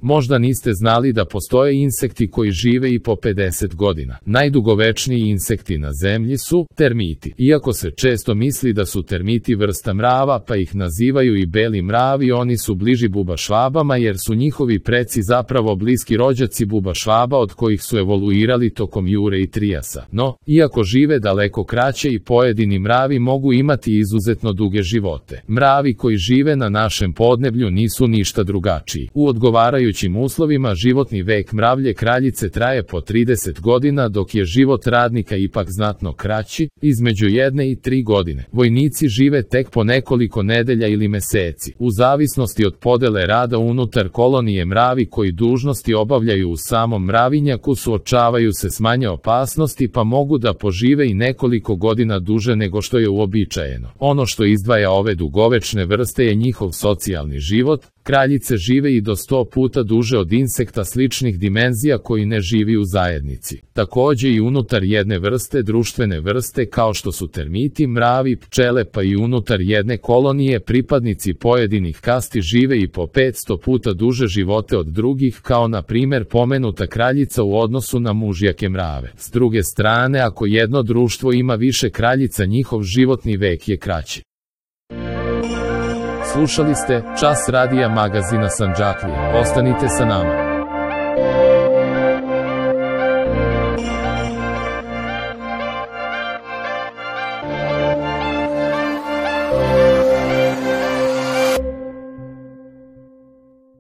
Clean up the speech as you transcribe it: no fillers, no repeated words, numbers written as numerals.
Možda niste znali da postoje insekti koji žive i po 50 godina. Najdugovečniji insekti na zemlji su termiti. Iako se često misli da su termiti vrsta mrava, pa ih nazivaju i beli mravi, oni su bliži bubašvabama jer su njihovi preci zapravo bliski rođaci bubašvaba od kojih su evoluirali tokom Jure i Trijasa. No, iako žive daleko kraće i pojedini mravi mogu imati izuzetno duge živote. Mravi koji žive na našem podneblju nisu ništa drugačiji. U odgovarajućim uslovima životni vek mravlje kraljice traje po 30 godina, dok je život radnika ipak znatno kraći, između 1 i 3 godine. Vojnici žive tek po nekoliko nedelja ili meseci. U zavisnosti od podele rada unutar kolonije, mravi koji dužnosti obavljaju u samom mravinjaku suočavaju se s manje opasnosti, pa mogu da požive i nekoliko godina duže nego što je uobičajeno. Ono što izdvaja ove dugovečne vrste je njihov socijalni život. Kraljice žive i do 100 puta duže od insekta sličnih dimenzija koji ne živi u zajednici. Takođe i unutar jedne vrste, društvene vrste kao što su termiti, mravi, pčele, pa i unutar jedne kolonije pripadnici pojedinih kasti žive i po 500 puta duže živote od drugih, kao na primer pomenuta kraljica u odnosu na mužjake mrave. S druge strane, ako jedno društvo ima više kraljica, njihov životni vek je kraći. Slušali ste Čas radija magazina Sandžaklija. Ostanite sa nama.